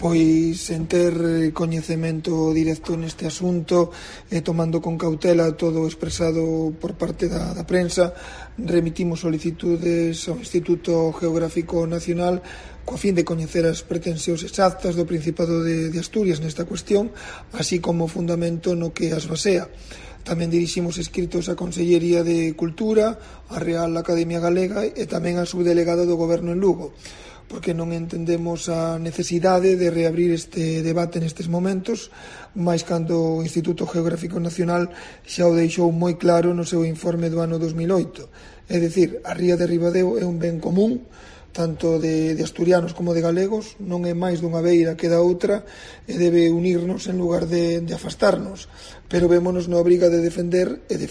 Pois en ter coñecemento directo neste asunto e tomando con cautela todo o expresado por parte da prensa, remitimos solicitudes ao Instituto Geográfico Nacional coa fin de coñecer as pretensións exactas do Principado de Asturias nesta cuestión, así como o fundamento no que as basea. Tamén diriximos escritos á Consellería de Cultura, á Real Academia Galega e tamén á subdelegada do Goberno en Lugo, porque non entendemos a necesidade de reabrir este debate nestes momentos, máis cando o Instituto Geográfico Nacional xa o deixou moi claro no seu informe do ano 2008. É dicir, a ría de Ribadeo é un ben común, tanto de asturianos como de galegos, non é máis dunha beira que da outra e debe unirnos en lugar de afastarnos, pero vémonos na obriga de defender e de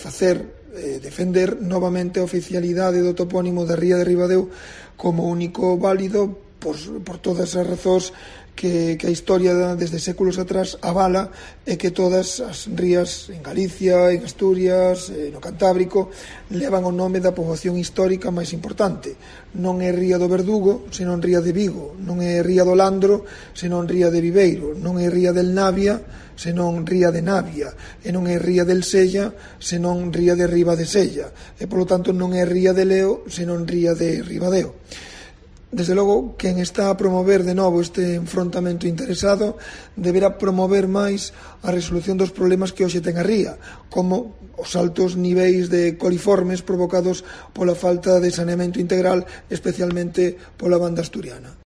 defender novamente a oficialidade do topónimo da ría de Ribadeo como único válido por todas as razóns que a historia desde séculos atrás avala e que todas as rías en Galicia, en Asturias, no Cantábrico levan o nome da poboación histórica máis importante. Non é ría do Verdugo, senón ría de Vigo, non é ría do Landro, senón ría de Viveiro, non é ría del Navia, senón ría de Navia, e non é ría del Sella, senón ría de Riba de Sella, e polo tanto non é ría de Leo, senón ría de Ribadeo. Desde logo, quen está a promover de novo este enfrontamento interesado deberá promover máis a resolución dos problemas que hoxe ten a ría, como os altos niveis de coliformes provocados pola falta de saneamento integral, especialmente pola banda asturiana.